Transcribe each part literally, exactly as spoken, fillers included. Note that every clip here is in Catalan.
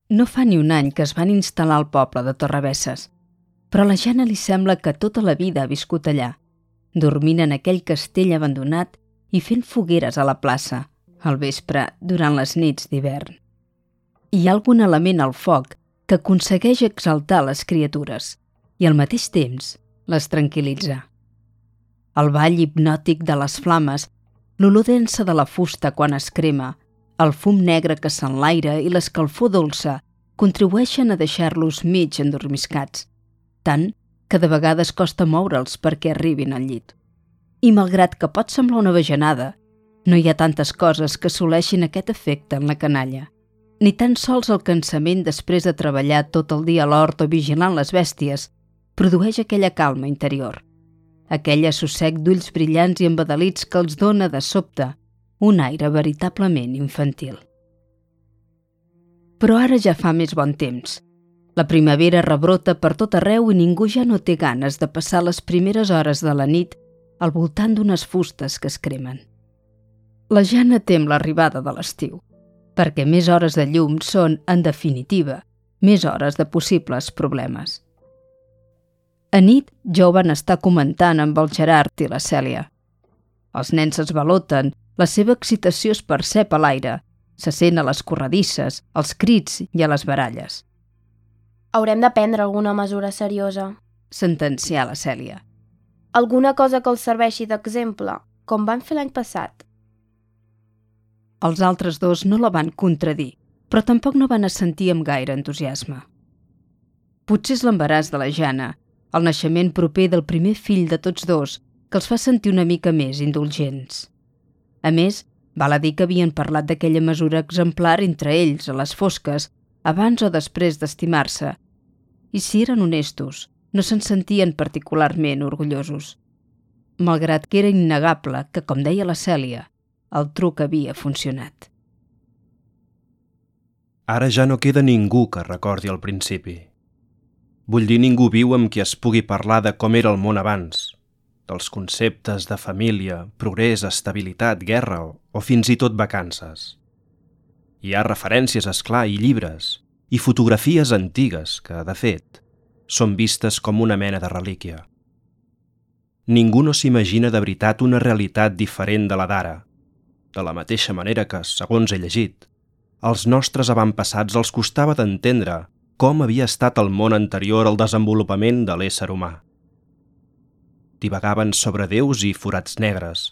No fa ni un any que es van instal·lar al poble de Torrebesses, però a la Jana li sembla que tota la vida ha viscut allà, dormint en aquell castell abandonat i fent fogueres a la plaça, al vespre, durant les nits d'hivern. Hi ha algun element al foc que aconsegueix exaltar les criatures i al mateix temps les tranquil·litza. El ball hipnòtic de les flames, l'olor densa de la fusta quan es crema, el fum negre que s'enlaira i l'escalfor dolça contribueixen a deixar-los mig endormiscats, tant que de vegades costa moure'ls perquè arribin al llit. I malgrat que pot semblar una bajanada, no hi ha tantes coses que assoleixin aquest efecte en la canalla, ni tan sols el cansament després de treballar tot el dia a l'hort o vigilant les bèsties produeix aquella calma interior, aquell assossec d'ulls brillants i embadalits que els dona de sobte un aire veritablement infantil. Però ara ja fa més bon temps. La primavera rebrota per tot arreu i ningú ja no té ganes de passar les primeres hores de la nit al voltant d'unes fustes que es cremen. La Jana tem l'arribada de l'estiu, perquè més hores de llum són, en definitiva, més hores de possibles problemes. A nit ja ho van estar comentant amb el Gerard i la Cèlia. Els nens es baloten, la seva excitació es percep a l'aire, se sent a les corredisses, als crits i a les baralles. Haurem de prendre alguna mesura seriosa, sentencià la Cèlia. Alguna cosa que els serveixi d'exemple, com van fer l'any passat. Els altres dos no la van contradir, però tampoc no van assentir amb gaire entusiasme. Potser és l'embaràs de la Jana, el naixement proper del primer fill de tots dos, que els fa sentir una mica més indulgents. A més, val a dir que havien parlat d'aquella mesura exemplar entre ells, a les fosques, abans o després d'estimar-se, i si eren honestos, no se'n sentien particularment orgullosos, malgrat que era innegable que, com deia la Cèlia, el truc havia funcionat. Ara ja no queda ningú que recordi el principi. Vull dir, ningú viu amb qui es pugui parlar de com era el món abans, dels conceptes de família, progrés, estabilitat, guerra o, o fins i tot vacances. Hi ha referències, esclar, i llibres, i fotografies antigues que, de fet, són vistes com una mena de relíquia. Ningú no s'imagina de veritat una realitat diferent de la d'ara, de la mateixa manera que, segons he llegit, als nostres avantpassats els costava d'entendre com havia estat el món anterior al desenvolupament de l'ésser humà. Divagaven sobre déus i forats negres,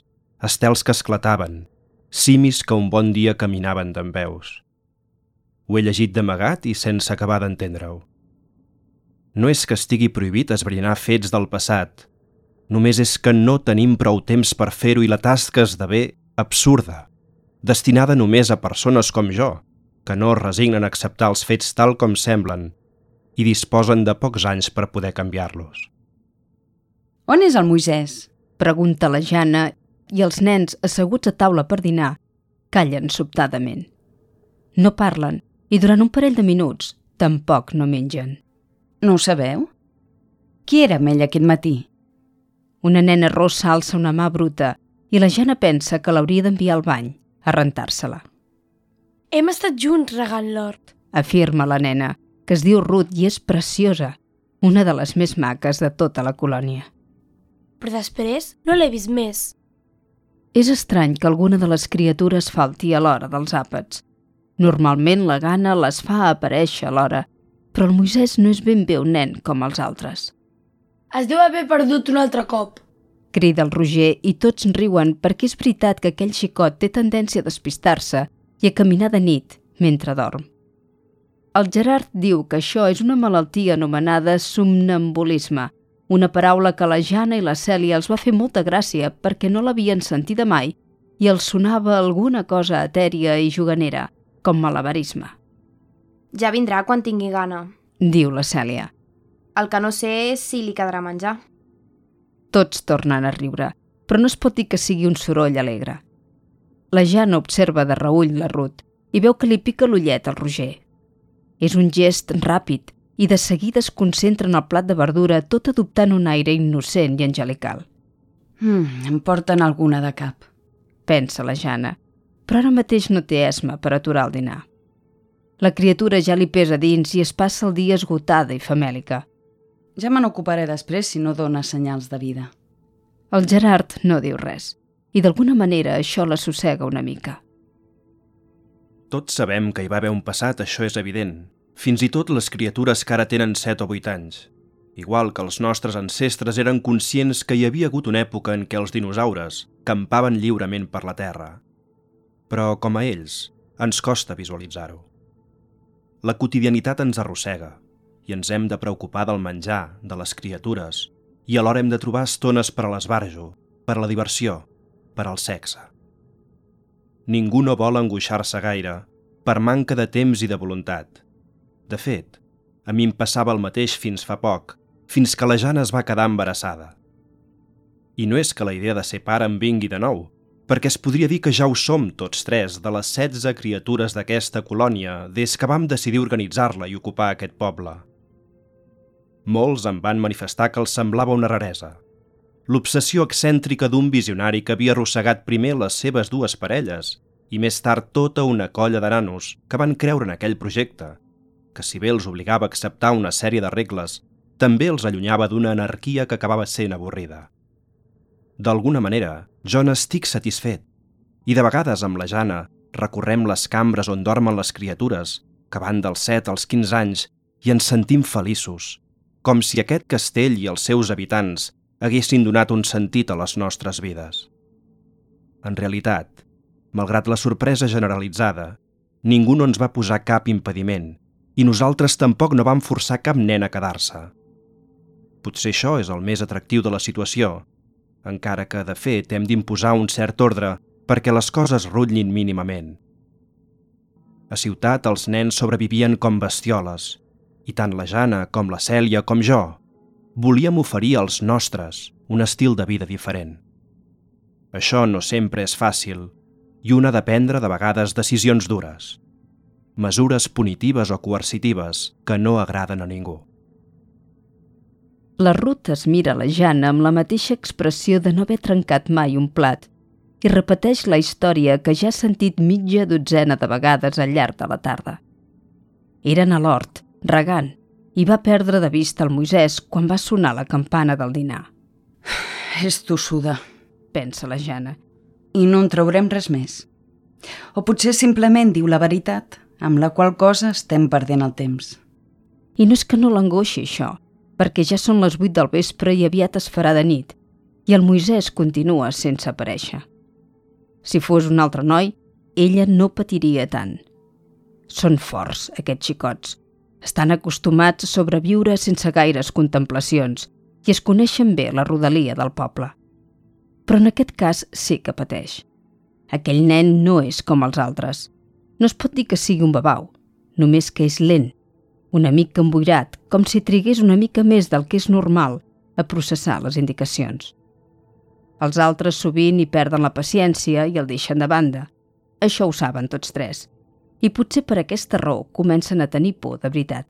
estels que esclataven, simis que un bon dia caminaven dempeus. Ho he llegit d'amagat i sense acabar d'entendre-ho. No és que estigui prohibit esbrinar fets del passat, només és que no tenim prou temps per fer-ho i la tasca esdevé absurda, destinada només a persones com jo, que no es resignen a acceptar els fets tal com semblen i disposen de pocs anys per poder canviar-los. On és el Moisès? Pregunta la Jana i els nens, asseguts a taula per dinar, callen sobtadament. No parlen i durant un parell de minuts tampoc no mengen. No ho sabeu? Qui era amb ell aquest matí? Una nena rossa alça una mà bruta i la Jana pensa que l'hauria d'enviar al bany, a rentar-se-la. Hem estat junts regant l'hort, afirma la nena, que es diu Ruth i és preciosa, una de les més maques de tota la colònia. Però després no l'he vist més. És estrany que alguna de les criatures falti a l'hora dels àpats. Normalment la gana les fa aparèixer a l'hora, però el Moisès no és ben bé un nen com els altres. Es deu haver perdut un altre cop, crida el Roger i tots riuen perquè és veritat que aquell xicot té tendència a despistar-se i a caminar de nit mentre dorm. El Gerard diu que això és una malaltia anomenada somnambulisme, una paraula que la Jana i la Cèlia els va fer molta gràcia perquè no l'havien sentida mai i els sonava alguna cosa etèria i juganera, com malabarisme. Ja vindrà quan tingui gana, diu la Cèlia. El que no sé és si li quedarà menjar. Tots tornen a riure, però no es pot dir que sigui un soroll alegre. La Jana observa de reüll la Ruth i veu que li pica l'ullet al Roger. És un gest ràpid i de seguida es concentra en el plat de verdura tot adoptant un aire innocent i angelical. Mm, em porten alguna de cap, pensa la Jana, però ara mateix no té esma per aturar el dinar. La criatura ja li pesa dins i es passa el dia esgotada i famèlica. Ja me n'ocuparé després si no dona senyals de vida. El Gerard no diu res, i d'alguna manera això l'assossega una mica. Tots sabem que hi va haver un passat, això és evident. Fins i tot les criatures que ara tenen set o vuit anys. Igual que els nostres ancestres eren conscients que hi havia hagut una època en què els dinosaures campaven lliurement per la Terra. Però, com a ells, ens costa visualitzar-ho. La quotidianitat ens arrossega i ens hem de preocupar del menjar, de les criatures, i alhora hem de trobar estones per a l'esbarjo, per a la diversió, per al sexe. Ningú no vol angoixar-se gaire per manca de temps i de voluntat. De fet, a mi em passava el mateix fins fa poc, fins que la Jana es va quedar embarassada. I no és que la idea de ser pare em vingui de nou, perquè es podria dir que ja ho som tots tres de les setze criatures d'aquesta colònia des que vam decidir organitzar-la i ocupar aquest poble. Molts em van manifestar que els semblava una raresa. L'obsessió excèntrica d'un visionari que havia arrossegat primer les seves dues parelles i més tard tota una colla de nanos que van creure en aquell projecte, que si bé els obligava a acceptar una sèrie de regles, també els allunyava d'una anarquia que acabava sent avorrida. D'alguna manera, jo n'estic satisfet, i de vegades amb la Jana recorrem les cambres on dormen les criatures, que van dels set als quinze anys, i ens sentim feliços, com si aquest castell i els seus habitants haguessin donat un sentit a les nostres vides. En realitat, malgrat la sorpresa generalitzada, ningú no ens va posar cap impediment, i nosaltres tampoc no vam forçar cap nen a quedar-se. Potser això és el més atractiu de la situació, encara que, de fet, hem d'imposar un cert ordre perquè les coses rutllin mínimament. A ciutat els nens sobrevivien com bestioles, i tant la Jana com la Cèlia com jo volíem oferir als nostres un estil de vida diferent. Això no sempre és fàcil, i un ha de prendre de vegades decisions dures, mesures punitives o coercitives que no agraden a ningú. La Ruth es mira la Jana amb la mateixa expressió de no haver trencat mai un plat i repeteix la història que ja ha sentit mitja dotzena de vegades al llarg de la tarda. Eren a l'hort, regant, i va perdre de vista el Moisès quan va sonar la campana del dinar. És tossuda, pensa la Jana. i no en traurem res més. O potser simplement diu la veritat, amb la qual cosa estem perdent el temps. I no és que no l'angoixi això, perquè ja són les vuit del vespre i aviat es farà de nit, i el Moisès continua sense aparèixer. Si fos un altre noi, ella no patiria tant. Són forts, aquests xicots. Estan acostumats a sobreviure sense gaires contemplacions i es coneixen bé la rodalia del poble. Però en aquest cas sí que pateix. Aquell nen no és com els altres. No es pot dir que sigui un babau, només que és lent, una mica emboirat, com si trigués una mica més del que és normal a processar les indicacions. Els altres sovint hi perden la paciència i el deixen de banda. Això ho saben tots tres. I potser per aquesta raó comencen a tenir por de veritat.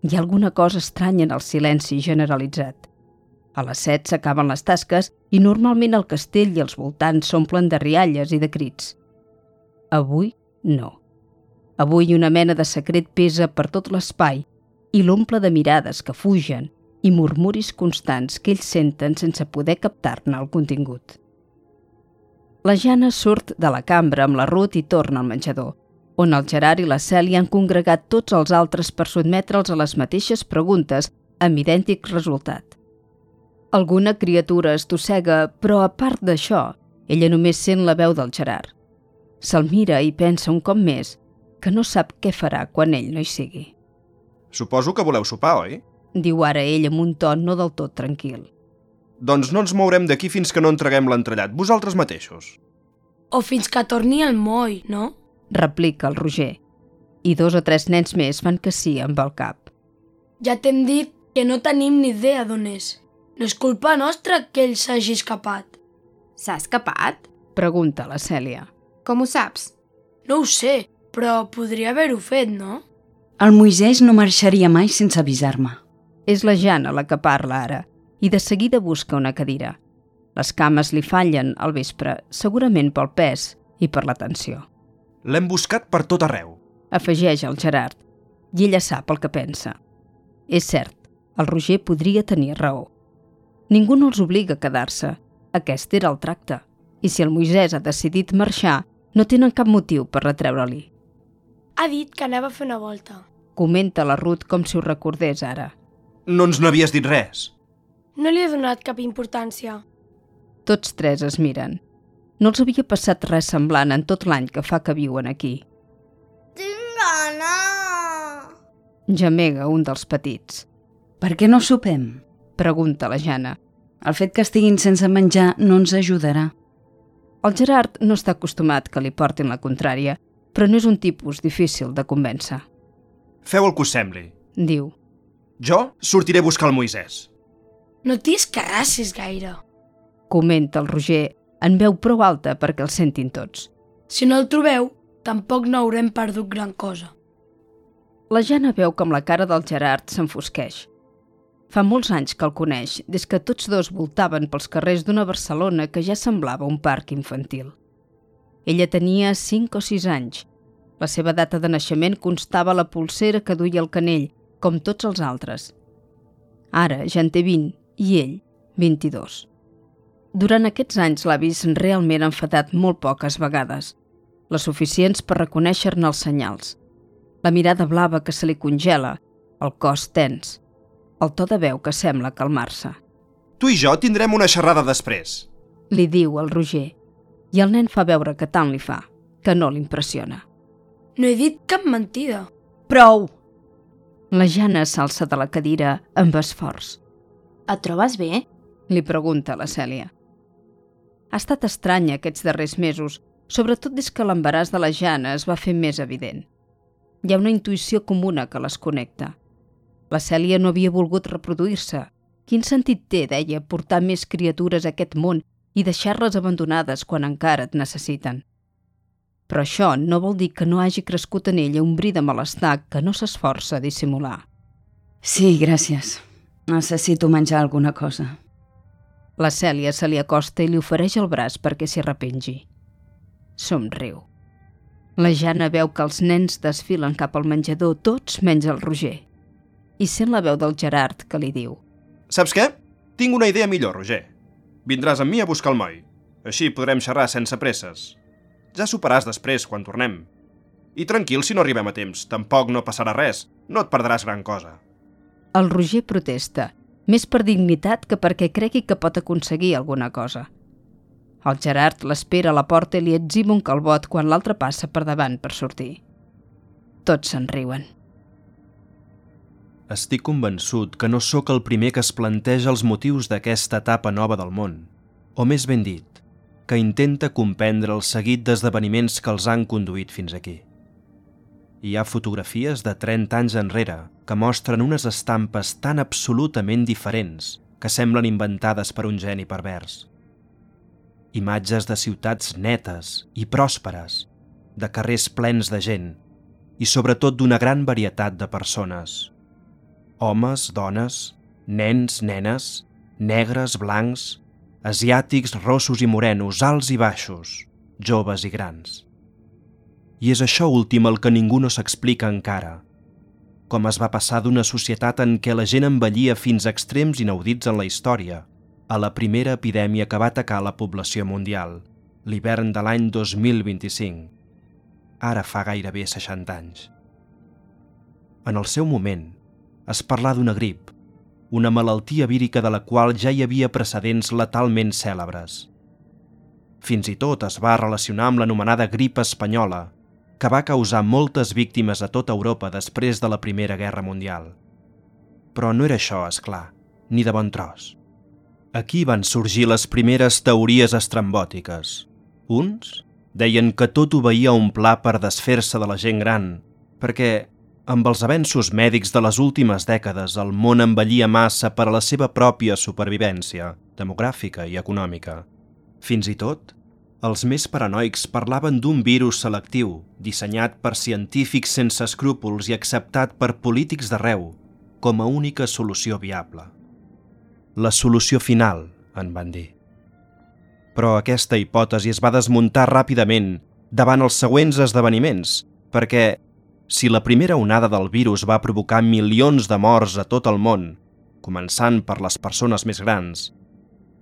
Hi ha alguna cosa estranya en el silenci generalitzat. A les set s'acaben les tasques i normalment el castell i els voltants s'omplen de rialles i de crits. Avui, no. Avui una mena de secret pesa per tot l'espai i l'omple de mirades que fugen i murmuris constants que ells senten sense poder captar-ne el contingut. La Jana surt de la cambra amb la Ruth i torna al menjador, on el Gerard i la Cèlia han congregat tots els altres per sotmetre'ls a les mateixes preguntes amb idèntic resultat. Alguna criatura estossega, però a part d'això, ella només sent la veu del Gerard. Se'l mira i pensa un cop més que no sap què farà quan ell no hi sigui. Suposo que voleu sopar, oi? Diu ara ell amb un to no del tot tranquil. Doncs no ens mourem d'aquí fins que no entreguem l'entrellat, vosaltres mateixos. O fins que torni el moll, no? Replica el Roger. I dos o tres nens més fan que sí amb el cap. Ja t'hem dit que no tenim ni idea d'on és. No és culpa nostra que ell s'hagi escapat. S'ha escapat? Pregunta la Cèlia. Com ho saps? No ho sé, però podria haver-ho fet, no? El Moisès no marxaria mai sense avisar-me. És la Jana la que parla ara, i de seguida busca una cadira. Les cames li fallen al vespre, segurament pel pes i per la tensió. L'hem buscat per tot arreu. afegeix el Gerard, i ella sap el que pensa. És cert, el Roger podria tenir raó. Ningú no els obliga a quedar-se. Aquest era el tracte. I si el Moisès ha decidit marxar, no tenen cap motiu per retreure-li. Ha dit que anava a fer una volta. Comenta la Ruth com si ho recordés ara. No ens n'havies dit res. No li he donat cap importància. Tots tres es miren. No els havia passat res semblant en tot l'any que fa que viuen aquí. Tinc gana! Gemega un dels petits. Per què no sopem? Pregunta la Jana. El fet que estiguin sense menjar no ens ajudarà. El Gerard no està acostumat que li portin la contrària, però no és un tipus difícil de convèncer. Feu el que us sembli. Diu. Jo sortiré a buscar el Moisès. No t'hi escarrassis gaire. Comenta el Roger en veu prou alta perquè el sentin tots. Si no el trobeu, tampoc no haurem perdut gran cosa. La Jana veu com la cara del Gerard s'enfosqueix. Fa molts anys que el coneix, des que tots dos voltaven pels carrers d'una Barcelona que ja semblava un parc infantil. Ella tenia cinc o sis anys. La seva data de naixement constava a la polsera que duia al canell, com tots els altres. Ara ja en té vint i ell, vint-i-dos. Durant aquests anys l'ha vist realment enfadat molt poques vegades, les suficients per reconèixer-ne els senyals. La mirada blava que se li congela, el cos tens, el to de veu que sembla calmar-se. Tu i jo tindrem una xerrada després. Li diu el Roger, i el nen fa veure que tant li fa, que no l'impressiona. No he dit cap mentida. Prou! La Jana s'alça de la cadira amb esforç. Et trobes bé? Li pregunta la Cèlia. Ha estat estranya aquests darrers mesos, sobretot des que l'embaràs de la Jana es va fer més evident. Hi ha una intuïció comuna que les connecta. La Cèlia no havia volgut reproduir-se. Quin sentit té, deia, portar més criatures a aquest món i deixar-les abandonades quan encara et necessiten? Però això no vol dir que no hagi crescut en ella un bri de malestar que no s'esforça a dissimular. Sí, gràcies. Necessito menjar alguna cosa. La Cèlia se li acosta i li ofereix el braç perquè s'hi arrepengi. Somriu. La Jana veu que els nens desfilen cap al menjador, tots menys el Roger. I sent la veu del Gerard que li diu: Saps què? Tinc una idea millor, Roger. Vindràs amb mi a buscar el moll. Així podrem xerrar sense presses. Ja soparàs després, quan tornem. I tranquil si no arribem a temps. Tampoc no passarà res. No et perdràs gran cosa. El Roger protesta, més per dignitat que perquè cregui que pot aconseguir alguna cosa. El Gerard l'espera a la porta i li etziba un calbot quan l'altre passa per davant per sortir. Tots se'n riuen. Estic convençut que no sóc el primer que es planteja els motius d'aquesta etapa nova del món, o més ben dit, que intenta comprendre el seguit d'esdeveniments que els han conduït fins aquí. Hi ha fotografies de trenta anys enrere que mostren unes estampes tan absolutament diferents que semblen inventades per un geni pervers. Imatges de ciutats netes i pròsperes, de carrers plens de gent i sobretot d'una gran varietat de persones. Homes, dones, nens, nenes, negres, blancs, asiàtics, rossos i morenos, alts i baixos, joves i grans. I és això últim el que ningú no s'explica encara. Com es va passar d'una societat en què la gent envellia fins a extrems inaudits en la història, a la primera epidèmia que va atacar la població mundial, l'hivern de l'any dos mil vint-i-cinc. Ara fa gairebé seixanta anys. En el seu moment, es parlà d'una grip, una malaltia vírica de la qual ja hi havia precedents letalment cèlebres. Fins i tot es va relacionar amb l'anomenada grip espanyola, que va causar moltes víctimes a tota Europa després de la Primera Guerra Mundial. Però no era això, és clar, ni de bon tros. Aquí van sorgir les primeres teories estrambòtiques. Uns deien que tot obeïa a un pla per desfer-se de la gent gran, perquè amb els avenços mèdics de les últimes dècades, el món envellia massa per a la seva pròpia supervivència, demogràfica i econòmica. Fins i tot, els més paranoics parlaven d'un virus selectiu, dissenyat per científics sense escrúpols i acceptat per polítics d'arreu, com a única solució viable. La solució final, en van dir. Però aquesta hipòtesi es va desmuntar ràpidament davant els següents esdeveniments, perquè Si la primera onada del virus va provocar milions de morts a tot el món, començant per les persones més grans,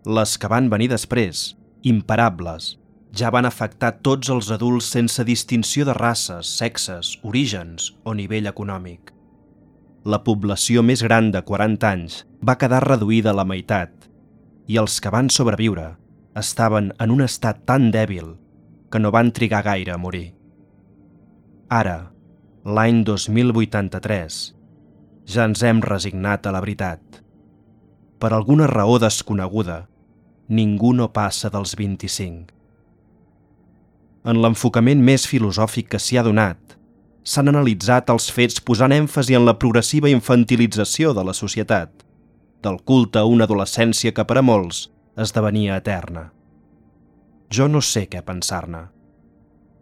les que van venir després, imparables, ja van afectar tots els adults sense distinció de races, sexes, orígens o nivell econòmic. La població més gran de quaranta anys va quedar reduïda a la meitat i els que van sobreviure estaven en un estat tan dèbil que no van trigar gaire a morir. Ara, l'any dos mil vuitanta-tres, ja ens hem resignat a la veritat. Per alguna raó desconeguda, ningú no passa dels vint-i-cinc. En l'enfocament més filosòfic que s'hi ha donat, s'han analitzat els fets posant èmfasi en la progressiva infantilització de la societat, del culte a una adolescència que per a molts esdevenia eterna. Jo no sé què pensar-ne.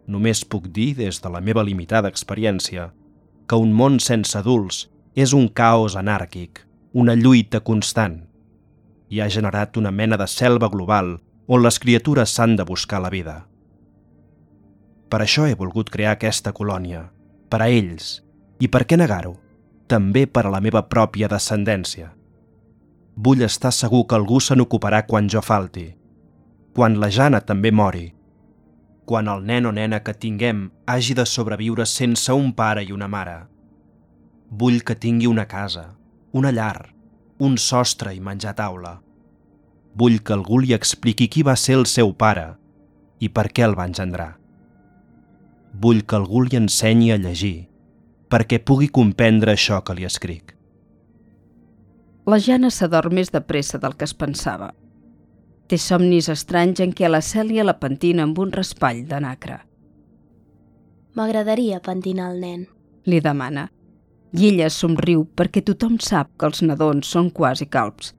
Només puc dir, des de la meva limitada experiència, que un món sense adults és un caos anàrquic, una lluita constant, i ha generat una mena de selva global on les criatures s'han de buscar la vida. Per això he volgut crear aquesta colònia, per a ells, i per què negar-ho, també per a la meva pròpia descendència. Vull estar segur que algú se n'ocuparà quan jo falti, quan la Jana també mori, quan el nen o nena que tinguem hagi de sobreviure sense un pare i una mare. Vull que tingui una casa, una llar, un sostre i menjar a taula. Vull que algú li expliqui qui va ser el seu pare i per què el va engendrar. Vull que algú li ensenyi a llegir, perquè pugui comprendre això que li escric. La Jana s'adorm més de pressa del que es pensava. Té somnis estranys en què la Cèlia la pentina amb un raspall de nacre. M'agradaria pentinar el nen. Li demana. I ella somriu perquè tothom sap que els nadons són quasi calbs,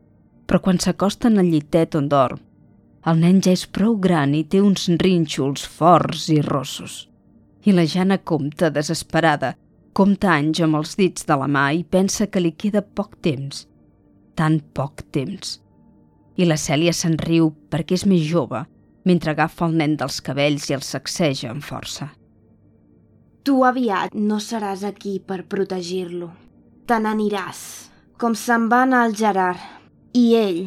però quan s'acosten al llitet on dorm, el nen ja és prou gran i té uns rínxols forts i rossos. I la Jana compta desesperada, compta anys amb els dits de la mà i pensa que li queda poc temps, tan poc temps. I la Cèlia se'n riu perquè és més jove, mentre agafa el nen dels cabells i el sacseja amb força. Tu aviat no seràs aquí per protegir-lo. Te n'aniràs, com se'n va anar el Gerard, i ell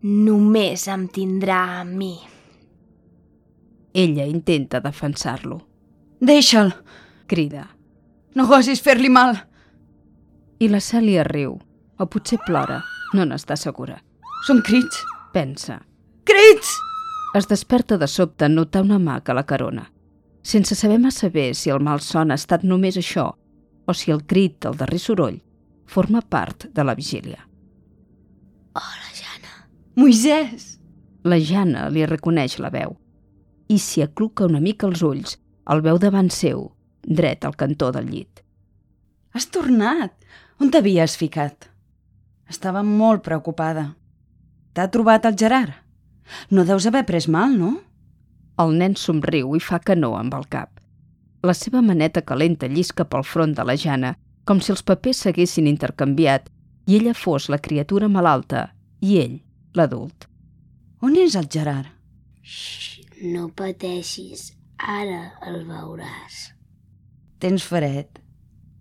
només em tindrà a mi. Ella intenta defensar-lo. Deixa'l, Crida. no gosis fer-li mal. I la Cèlia riu, o potser plora, no n'està segura. Són crits. Pensa. Crits! Es desperta de sobte en notar una mà que la carona, sense saber massa bé si el malson ha estat només això o si el crit, el darrer soroll, forma part de la vigília. Hola, Jana. Moisès! La Jana li reconeix la veu i s'hi acluca una mica els ulls, el veu davant seu, dret al cantó del llit. Has tornat. On t'havies ficat? Estava molt preocupada. T'ha trobat el Gerard? No deus haver pres mal, no? El nen somriu i fa que no amb el cap. La seva maneta calenta llisca pel front de la Jana, com si els papers s'haguessin intercanviat i ella fos la criatura malalta i ell, l'adult. On és el Gerard? Xxt, no pateixis, ara el veuràs. Tens fred.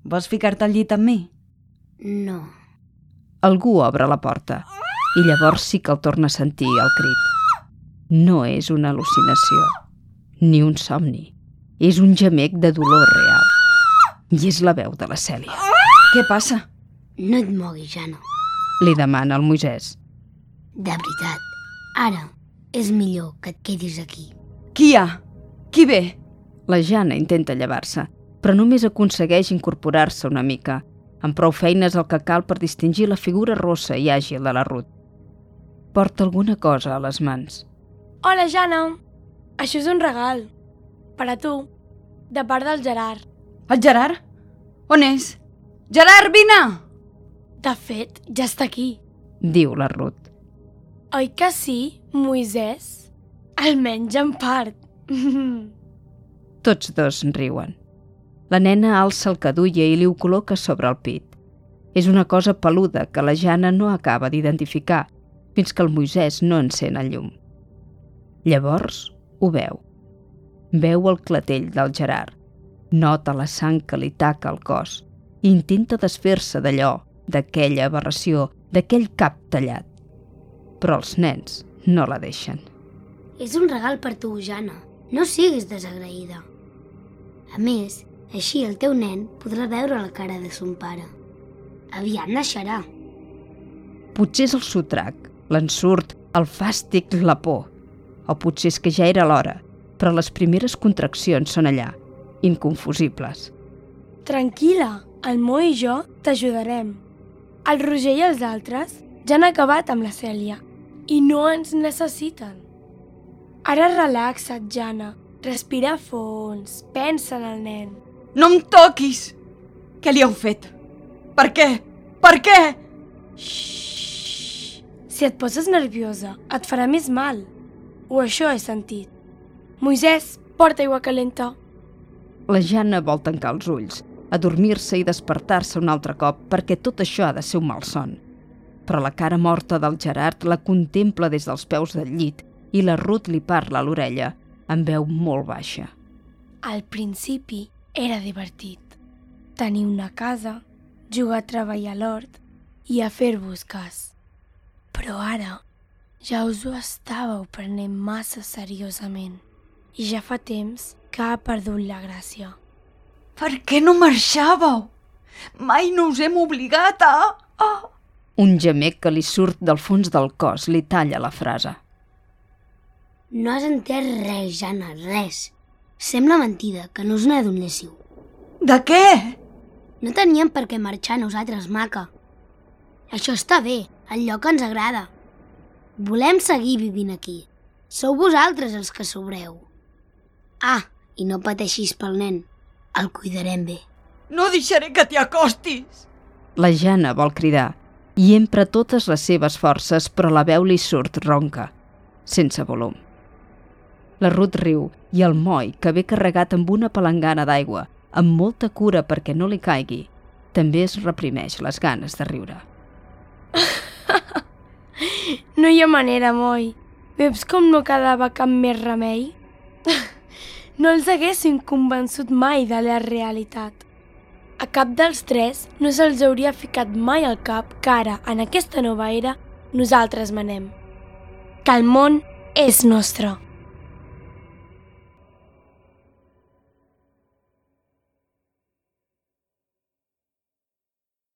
Vols ficar-te al llit amb mi? No. Algú obre la porta i llavors sí que el torna a sentir el crit. No és una al·lucinació, ni un somni. És un gemec de dolor real. I és la veu de la Cèlia. Què passa? No et moguis, Jana. Li demana el Moisès. De veritat, ara és millor que et quedis aquí. Qui hi ha? Qui ve? La Jana intenta llevar-se, però només aconsegueix incorporar-se una mica. Amb prou feines el que cal per distingir la figura rossa i àgil de la Ruth. Porta alguna cosa a les mans. Hola, Jana. Això és un regal. Per a tu. De part del Gerard. El Gerard? On és? Gerard, vine! De fet, ja està aquí. Diu la Ruth. Oi que sí, Moisès? Almenys en part. Tots dos riuen. La nena alça el que duia i li ho col·loca sobre el pit. És una cosa peluda que la Jana no acaba d'identificar fins que el Moisès no encén el llum. Llavors ho veu. Veu el clatell del Gerard Nota la sang que li taca al cos i intenta desfer-se d'allò, d'aquella aberració, d'aquell cap tallat. Però els nens no la deixen. És un regal per tu, Jana. No siguis desagraïda. A més, així el teu nen podrà veure la cara de son pare. Aviat naixerà. Potser és el sotrac, l'ensurt, el fàstic, la por. O potser és que ja era l'hora, però les primeres contraccions són allà, inconfusibles. Tranquil·la, el Mo i jo t'ajudarem. El Roger i els altres ja han acabat amb la Cèlia i no ens necessiten. Ara relaxa't, Jana. Respira fons, pensa en el nen. No em toquis! Què li heu fet? Per què? Per què? Xxxt. Si et poses nerviosa, et farà més mal. O això he sentit. Moisès, porta aigua calenta. La Jana vol tancar els ulls, adormir-se i despertar-se un altre cop perquè tot això ha de ser un malson. Però la cara morta del Gerard la contempla des dels peus del llit i la Ruth li parla a l'orella amb veu molt baixa. Al principi era divertit. Tenir una casa, jugar a treballar a l'hort i a fer-vos cas. Però ara ja us ho estàveu prenent massa seriosament i ja fa temps que ha perdut la gràcia. Per què no marxàveu? Mai no us hem obligat a... Oh. Un gemec que li surt del fons del cos li talla la frase. No has entès res, Jana, res. Sembla mentida que no us n'adonéssiu. De què? No teníem per què marxar nosaltres, maca. Això està bé, el lloc ens agrada. Volem seguir vivint aquí. Sou vosaltres els que sobreu. Ah, i no pateixis pel nen. El cuidarem bé. No deixaré que t'hi acostis. La Jana vol cridar i empra totes les seves forces, però la veu li surt ronca, sense volum. La Ruth riu i el Moi, que ve carregat amb una palangana d'aigua, amb molta cura perquè no li caigui, també es reprimeix les ganes de riure. No hi ha manera, Moi. Veus com no quedava cap més remei? No els haguessin convençut mai de la realitat. A cap dels tres no se'ls hauria ficat mai al cap que ara, en aquesta nova era, nosaltres manem. Que el món és nostre.